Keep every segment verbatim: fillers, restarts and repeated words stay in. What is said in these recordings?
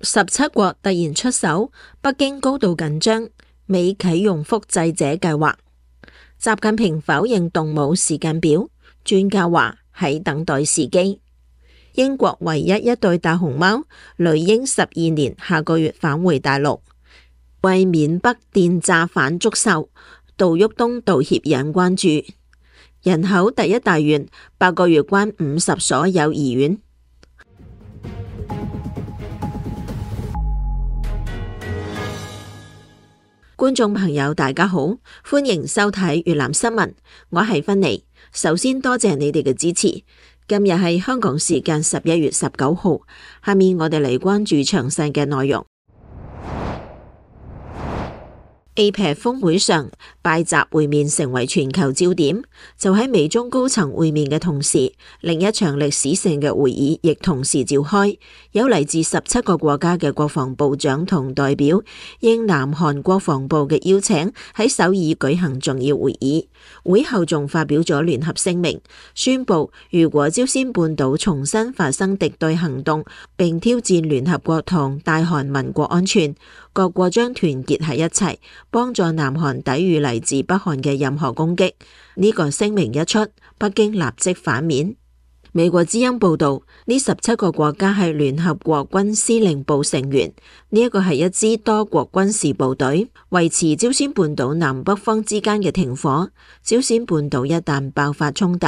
十七國突然出手，北京高度緊張，美啟用複製者計劃。習近平否認動武時間表，專家話喺等待時機。英國唯一一對大熊貓雷鷹十二年下個月返回大陸。為緬北電詐反捉獸，杜旭東道歉引關注。人口第一大縣八個月關五十所幼兒園。觀眾朋友大家好，歡迎收睇粵覽新聞，我係芬妮。首先多謝你哋嘅支持。今日係香港時間十一月十九號，下面我哋嚟關注詳細嘅內容。A P E C 峰會上，拜習會面成為全球焦點。就喺美中高層會面嘅同時，另一場歷史性嘅會議亦同時召開，有嚟自十七個國家嘅國防部長同代表，應南韓國防部嘅邀請，喺首爾舉行重要會議。會後仲發表咗聯合聲明，宣布如果朝鮮半島重新發生敵對行動，並挑戰聯合國同大韓民國安全，各國將團結喺一齊，幫助南韓抵禦嚟自北韓嘅任何攻擊。呢個聲明一出，北京立即反面。美國之音報道，呢十七個國家係聯合國軍司令部成員，呢一個係一支多國軍事部隊，維持朝鮮半島南北方之間嘅停火。朝鮮半島一旦爆發衝突，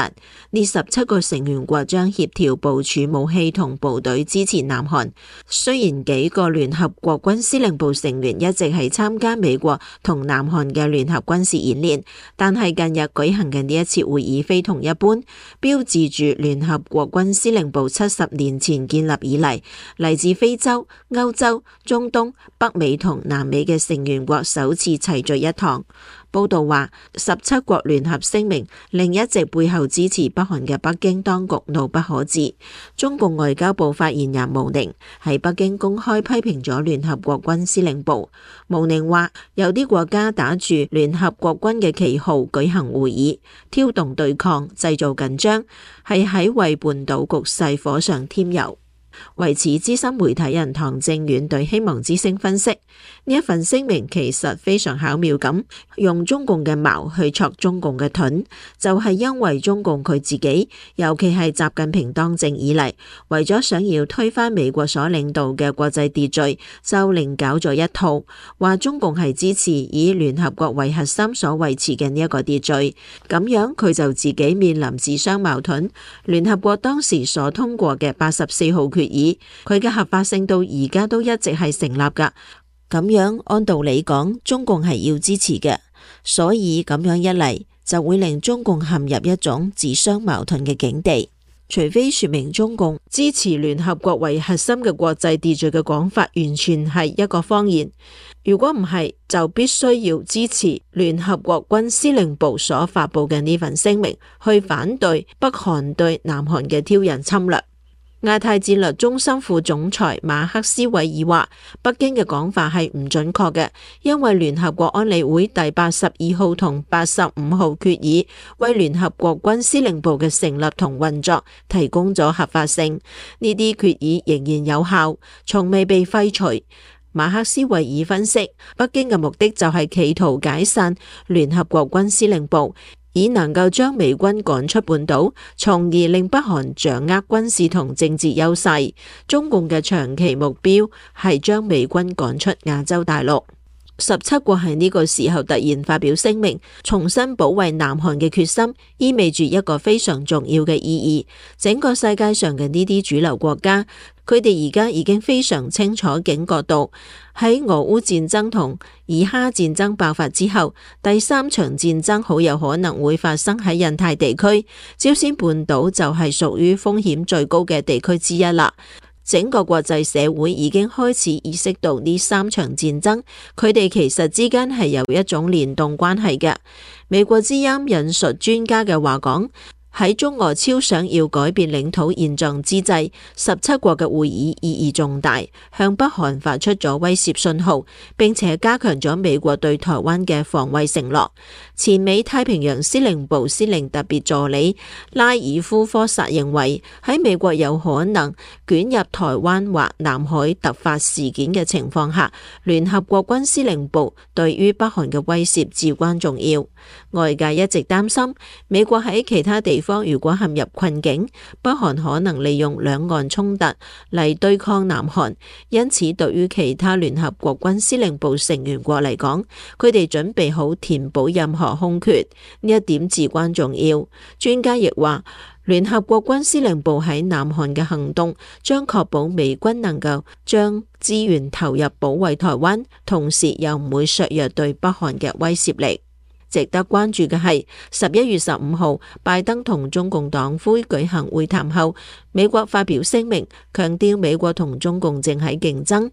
呢十七個成員國將協調部署武器同部隊支持南韓。雖然幾個聯合國軍司令部成員一直係參加美國同南韓嘅聯合軍事演練，但係近日舉行嘅呢一次會議非同一般，標誌住聯合國軍司令部七十年前建立以嚟，嚟自非洲、歐洲、中東、北美同南美嘅成員國首次齊聚一堂。報道話，十七國聯合聲明令一直背後支持北韓嘅北京當局怒不可遏。中共外交部發言人毛寧喺北京公開批評咗聯合國軍司令部。毛寧話，有啲國家打住聯合國軍嘅旗號舉行會議，挑動對抗，製造緊張，係喺為半島局勢火上添油。為此，資深媒體人唐正遠對希望之聲分析，呢一份聲明其實非常巧妙咁用中共嘅矛去戳中共嘅盾，就係因為中共佢自己，尤其係習近平當政以嚟，為咗想要推翻美國所領導嘅國際秩序，就另搞咗一套，話中共係支持以聯合國為核心所維持嘅呢一個秩序，咁樣佢就自己面臨自相矛盾。聯合國當時所通過嘅八十四號決議，佢嘅合法性到而家都一直係成立噶，咁樣按道理講，中共係要支持嘅，所以咁樣一嚟就會令中共陷入一種自相矛盾嘅境地。除非說明中共支持聯合國為核心嘅國際秩序嘅講法完全係一個謊言，如果唔係，就必須要支持聯合國軍司令部所發佈嘅呢份聲明，去反對北韓對南韓嘅挑釁侵略。亞太戰略中心副總裁馬克斯韋爾話，北京嘅講法係唔準確嘅，因為聯合國安理會第八十二號同八十五號決議為聯合國軍司令部嘅成立同運作提供咗合法性，呢啲決議仍然有效，從未被廢除。馬克斯韋爾分析，北京嘅目的就係企圖解散聯合國軍司令部，以能夠將美軍趕出半島，從而令北韓掌握軍事同政治優勢。中共嘅長期目標係將美軍趕出亞洲大陸。十七國喺呢個時候突然發表聲明，重新保衛南韓嘅決心，意味住一個非常重要嘅意義。整個世界上嘅呢啲主流國家，佢哋而家已經非常清楚警覺到，喺俄烏戰爭同以哈戰爭爆發之後，第三場戰爭好有可能會發生喺印太地區，朝鮮半島就係屬於風險最高嘅地區之一啦。整個國際社會已經開始意識到呢三場戰爭，佢哋其實之間係有一種聯動關係嘅。美國之音引述專家嘅話講，喺中俄超想要改變領土現狀之際，十七國嘅會議意義重大，向北韓發出咗威懾信號，並且加強咗美國對台灣嘅防衛承諾。前美太平洋司令部司令特別助理拉爾夫科薩認為，喺美國有可能捲入台灣或南海突發事件嘅情況下，聯合國軍司令部對於北韓嘅威懾至關重要。外界一直擔心美國喺其他地方如果陷入困境，北韓可能利用兩岸衝突嚟對抗南韓，因此對於其他聯合國軍司令部成員國嚟講，佢哋準備好填補任何空缺，呢一點至關重要。專家亦話，聯合國軍司令部喺南韓嘅行動將確保美軍能夠將資源投入保衛台灣，同時又唔會削弱對北韓嘅威懾力。值得關注嘅係，十一月十五號，拜登同中共黨魁舉行會談後，美國發表聲明，強調美國同中共正喺競爭，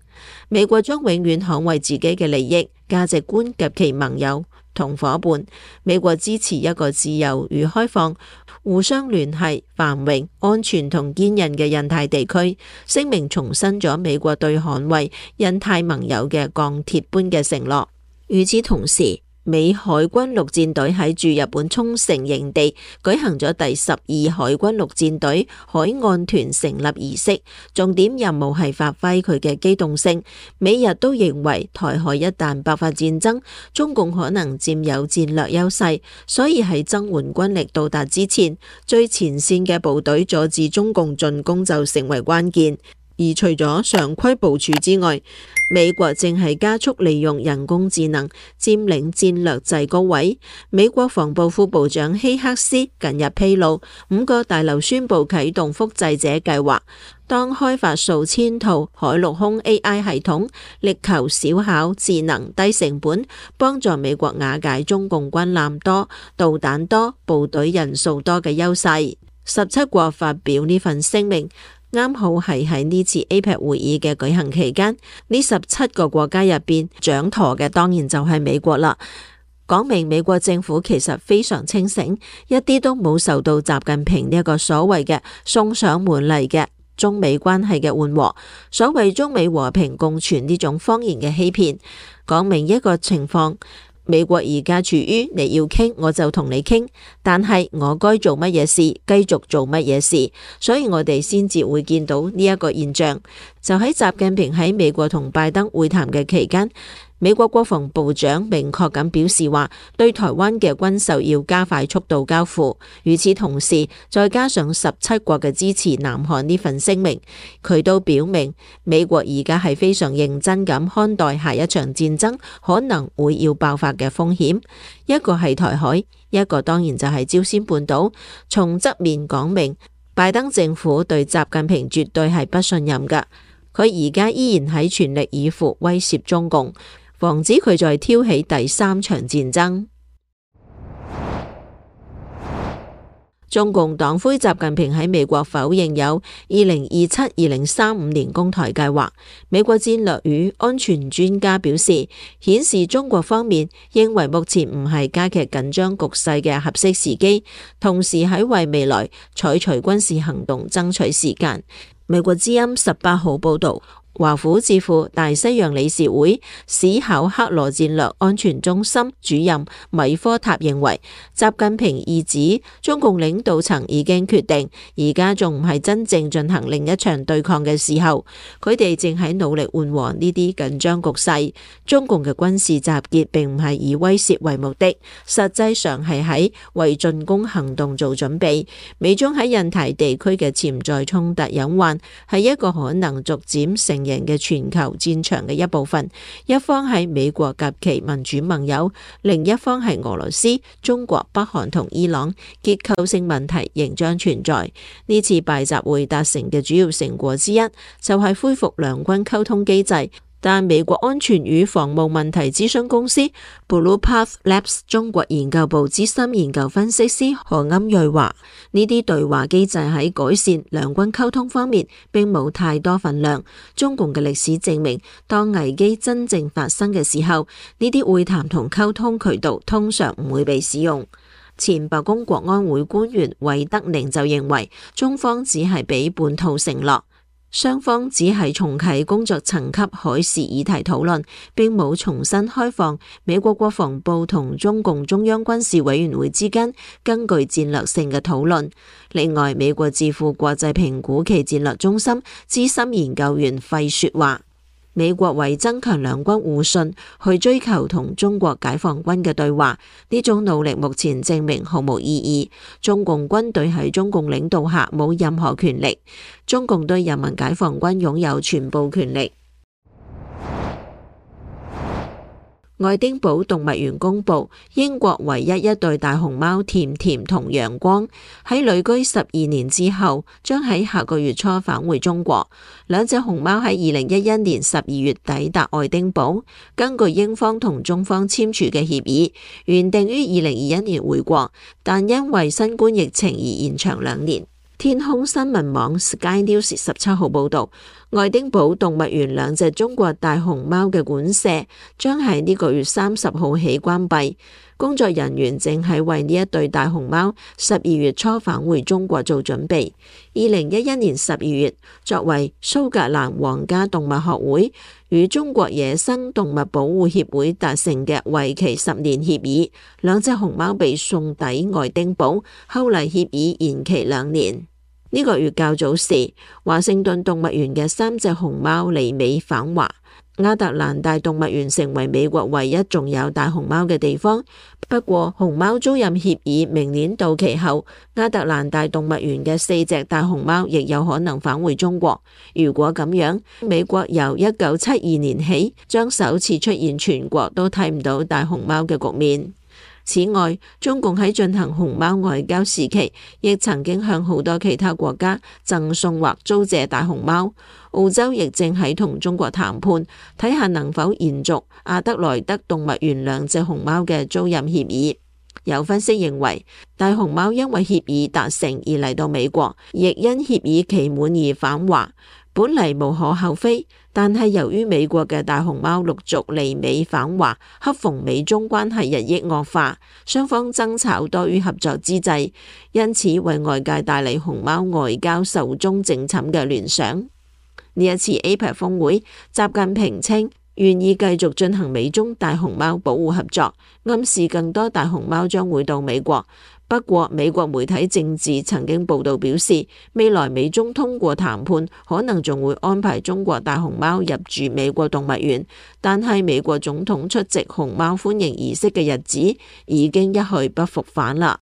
美國將永遠捍衛自己嘅利益、價值觀及其盟友同夥伴。美國支持一個自由與開放、互相聯繫、繁榮、安全同堅韌嘅印太地區。聲明重申咗美國對捍衛印太盟友嘅鋼鐵般嘅承諾。與此同時，美海軍陸戰隊喺駐日本沖繩營地舉行咗第十二海軍陸戰隊海岸團成立儀式，重點任務係發揮佢嘅機動性。美日都認為台海一旦爆發戰爭，中共可能佔有戰略優勢，所以喺增援軍力到達之前，最前線嘅部隊阻止中共進攻就成為關鍵。而除咗常規部署之外，美國正係加速利用人工智能佔領戰略制高位。美國防部副部長希克斯近日披露，五個大樓宣布啟動複製者計劃，當開發數千套海陸空 A I 系統，力求小巧、智能、低成本，幫助美國瓦解中共軍艦多、導彈多、部隊人數多嘅優勢。十七國發表呢份聲明，啱好係喺呢次 A P E C 會議嘅舉行期間，呢十七個國家入邊掌舵嘅當然就係美國啦。講明美國政府其實非常清醒，一啲都冇受到習近平呢一個所謂嘅送上門嚟嘅中美關係嘅緩和，所謂中美和平共存呢種謊言嘅欺騙。講明一個情況，美國而家處於你要傾我就同你傾，但係我該做乜嘢事繼續做乜嘢事，所以我哋先至會見到呢一個現象。就喺習近平喺美國同拜登會談嘅期間，美國國防部長明確咁表示話，對台灣嘅軍售要加快速度交付。與此同時，再加上十七國嘅支持南韓呢份聲明，佢都表明美國而家係非常認真咁看待下一場戰爭可能會要爆發嘅風險。一個係台海，一個當然就係朝鮮半島。從側面講明，拜登政府對習近平絕對係不信任㗎。佢而家依然喺全力以赴威懾中共，防止佢再挑起第三場戰爭。中共黨魁習近平喺美國否認有二零二七、二零三五年攻台計劃。美國戰略與安全專家表示，顯示中國方面認為目前唔係加劇緊張局勢嘅合適時機，同時喺為未來採取軍事行動爭取時間。美國之音十八號報道，華府智庫大西洋理事會史考克羅戰略安全中心主任米科塔認為，習近平意指中共領導層已經決定，而家仲唔係真正進行另一場對抗嘅時候，佢哋正喺努力緩和呢啲緊張局勢。中共嘅軍事集結並唔係以威懾為目的，實際上係喺為進攻行動做準備。美中喺印太地區嘅潛在衝突隱患係一個可能逐漸成型嘅全球戰場嘅一部分，一方係美國及其民主盟友，另一方係俄羅斯、中國、北韓同伊朗。結構性問題仍將存在。呢次拜習會達成嘅主要成果之一，就係恢復兩軍溝通機制。但美國安全與防務問題諮詢公司 Blue Path Labs 中國研究部資深研究分析師何欽睿話：呢啲對話機制喺改善兩軍溝通方面並冇太多份量。中共嘅歷史證明，當危機真正發生嘅時候，呢啲會談同溝通渠道通常唔會被使用。前白宮國安會官員韋德寧就認為，中方只係俾半套承諾，雙方只係重啟工作層級海事議題討論，並冇重新開放美國國防部同中共中央軍事委員會之間根據戰略性嘅討論。另外，美國智庫國際評估暨戰略中心資深研究員費雪話，美國為增強兩軍互信，去追求同中國解放軍嘅對話，呢種努力目前證明毫無意義。中共軍隊喺中共領導下冇任何權力，中共對人民解放軍擁有全部權力。愛丁堡動物園公佈，英國唯一一對大熊貓甜甜同陽光喺旅居十二年之後，將喺下個月初返回中國。兩隻熊貓喺二零一一年十二月抵達愛丁堡，根據英方同中方簽署嘅協議，原定於二零二一年回國，但因為新冠疫情而延長兩年。天空新聞網 Sky News 十七號報道，愛丁堡動物園兩隻中國大熊貓嘅館舍將喺呢個月三十號起關閉，工作人員正喺為呢一對大熊貓十二月初返回中國做準備。二零一一年十二月，作為蘇格蘭皇家動物學會與中國野生動物保護協會達成嘅為期十年協議，兩隻熊貓被送抵愛丁堡，後嚟協議延期兩年。呢個月較早時，華盛頓動物園嘅三隻熊貓離美返華，亞特蘭大動物園成為美國唯一仲有大熊貓嘅地方。不過，熊貓租賃協議明年到期後，亞特蘭大動物園嘅四隻大熊貓亦有可能返回中國。如果咁樣，美國由一九七二年起將首次出現全國都睇唔到大熊貓嘅局面。此外，中共喺進行熊貓外交時期，亦曾經向好多其他國家贈送或租借大熊貓。澳洲亦正喺同中國談判，睇下能否延續阿德萊德動物園兩隻熊貓嘅租賃協議。有分析認為，大熊貓因為協議達成而嚟到美國，亦因協議期滿而返華，本嚟無可厚非。但係由於美國嘅大熊貓陸續離美返華，恰逢美中關係日益惡化，雙方爭吵多於合作之際，因此為外界帶嚟熊貓外交壽終正寢嘅聯想。呢一次 A P E C 峰會，習近平稱願意繼續進行美中大熊貓保護合作，暗示更多大熊貓將會到美國。不過，美國媒體政治曾經報道表示，未來美中通過談判，可能仲會安排中國大熊貓入住美國動物園。但係美國總統出席熊貓歡迎儀式嘅日子已經一去不復返啦。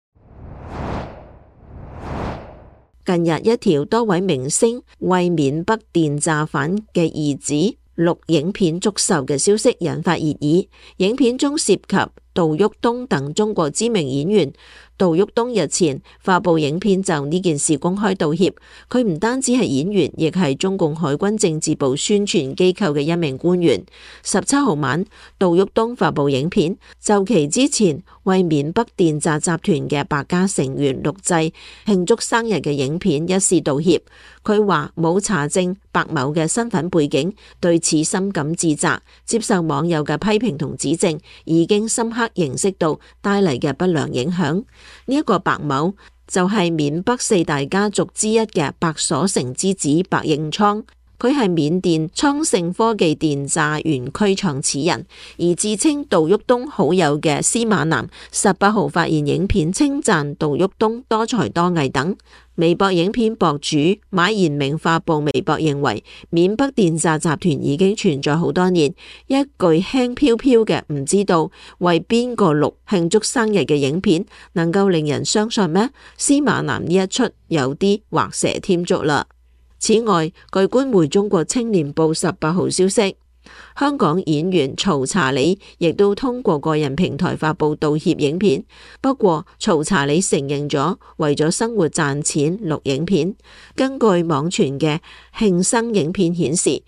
近日，一條多位明星為緬北電詐犯嘅兒子錄影片祝壽嘅消息引發熱議。影片中涉及杜旭東等中國知名演員。杜旭東日前發布影片就呢件事公開道歉，佢唔單止係演員，亦係中共海軍政治部宣傳機構嘅一名官員。十七號晚，杜旭東發布影片，就其之前為緬北電詐集團嘅白家成員錄製慶祝生日嘅影片一事道歉。佢話冇查證白某嘅身份背景，對此深感自責，接受網友嘅批評同指正，已經深刻認識到帶嚟嘅不良影響。呢一個白某就係緬北四大家族之一嘅白所成之子白應倉，佢係緬甸倉盛科技電詐園區創始人。而自稱杜旭東好友嘅司馬南十八號發現影片，稱讚杜旭東多才多藝等。微博影片博主馬延明發布微博認為，緬北電詐集團已經存在好多年，一句輕飄飄嘅唔知道為邊個錄慶祝生日嘅影片能夠令人相信咩？司馬南呢一出有啲畫蛇添足啦。此外，據官媒中國青年報十八號消息，香港演員曹查理亦都通過個人平台發布道歉影片。不過，曹查理承認咗為咗生活賺錢錄影片。根據網傳嘅慶生影片顯示，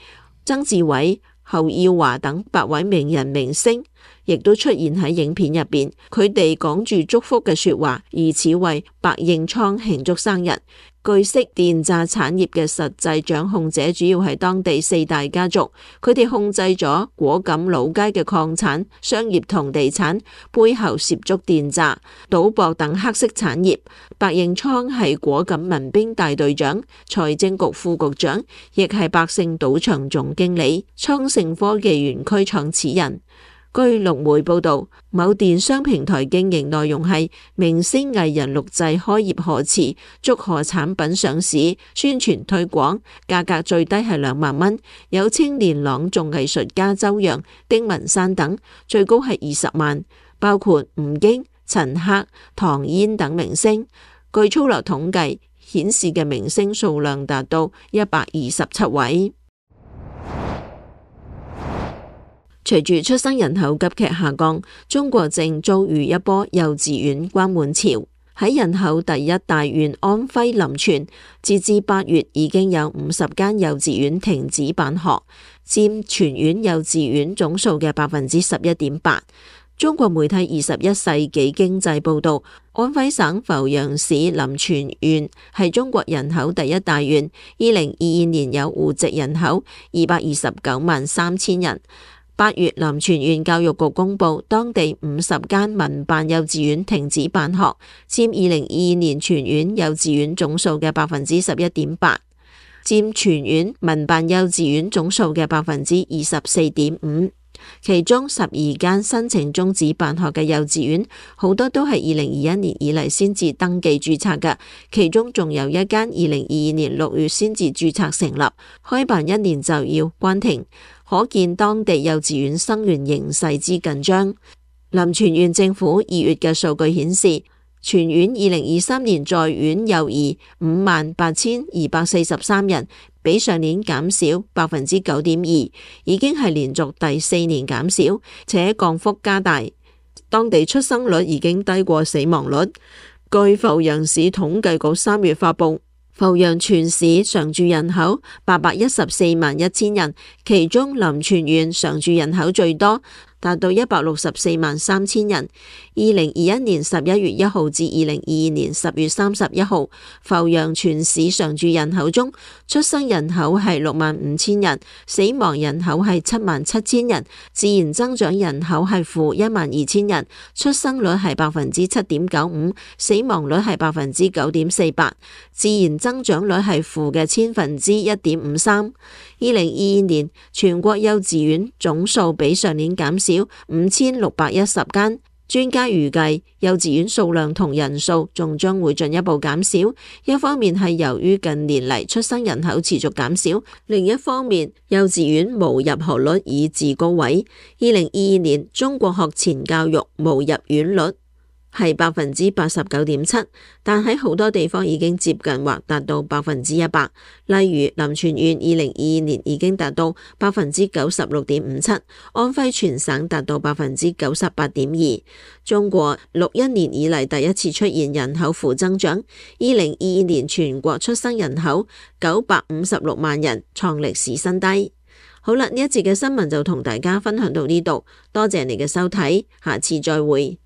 曾志偉、侯耀華等八位名人明星亦都出現喺影片入邊，佢哋講住祝福嘅說話，疑似為白應倉慶祝生日。據悉，電詐產業嘅實際掌控者主要係當地四大家族，佢哋控制咗果敢老街嘅礦產、商業同地產，背後涉足電詐、賭博等黑色產業。白應倉係果敢民兵大隊長、財政局副局長，亦係百勝賭場總經理、昌盛科技園區創始人。據陸媒報道，某電商平台經營內容係明星藝人錄製開業賀詞，祝賀產品上市，宣傳推廣，價格最低係兩萬蚊，有青年朗誦藝術家周洋、丁文山等，最高係二十萬，包括吳京、陳赫、唐嫣等明星。據粗略統計顯示嘅明星數量達到一百二十七位。隨住出生人口急劇下降，中國正遭遇一波幼稚園關門潮。喺人口第一大縣安徽臨泉，截至八月已經有五十間幼稚園停止辦學，佔全縣幼稚園總數嘅百分之十一點八。中國媒體二十一世紀經濟報道，安徽省阜陽市臨泉縣係中國人口第一大縣，二零二二年有戶籍人口二百二十九萬三千人。八月，臨泉縣教育局公布，當地五十間民辦幼稚園停止辦學，佔二零二二年全縣幼稚園總數嘅百分之十一點八，佔全縣民辦幼稚園總數嘅百分之二十四點五。其中十二間申請終止辦學嘅幼稚園，好多都係二零二一年以嚟先至登記註冊嘅，其中仲有一間二零二二年六月先至註冊成立，開辦一年就要關停。可見當地幼稚園生源形勢之緊張。臨泉縣政府二月嘅數據顯示，全縣二零二三年在院幼兒五萬八千二百四十三人，比上年減少百分之九點二，已經係連續第四年減少，且降幅加大。當地出生率已經低過死亡率。據阜陽市統計局三月發布，阜陽全市常住人口八百一十四萬一千人，其中臨泉縣常住人口最多，達到一百六十四萬三千人。二零二一年十一月一號至二零二二年十月三十一號，阜陽全市常住人口中，出生人口係六萬五千人，死亡人口係七萬七千人，自然增長人口係負一萬二千人，出生率係百分之七點九五，死亡率係百分之九點四八，自然增長率係負嘅千分之一點五三。二零二二年全國幼稚園總數比上年減少五千六百一十間。專家預計幼稚園數量同人數仲將會進一步減少，一方面係由於近年嚟出生人口持續減少，另一方面幼稚園無入學率已至高位。二零二二年中國學前教育無入園率係百分之八十九點七，但喺好多地方已經接近或達到百分之一百。例如臨泉縣二零二二年已經達到百分之九十六點五七，安徽全省達到百分之九十八點二。中國六一年以嚟第一次出現人口負增長，二零二二年全國出生人口九百五十六萬人，創歷史新低。好啦，呢一節嘅新聞就同大家分享到呢度，多謝你嘅收睇，下次再會。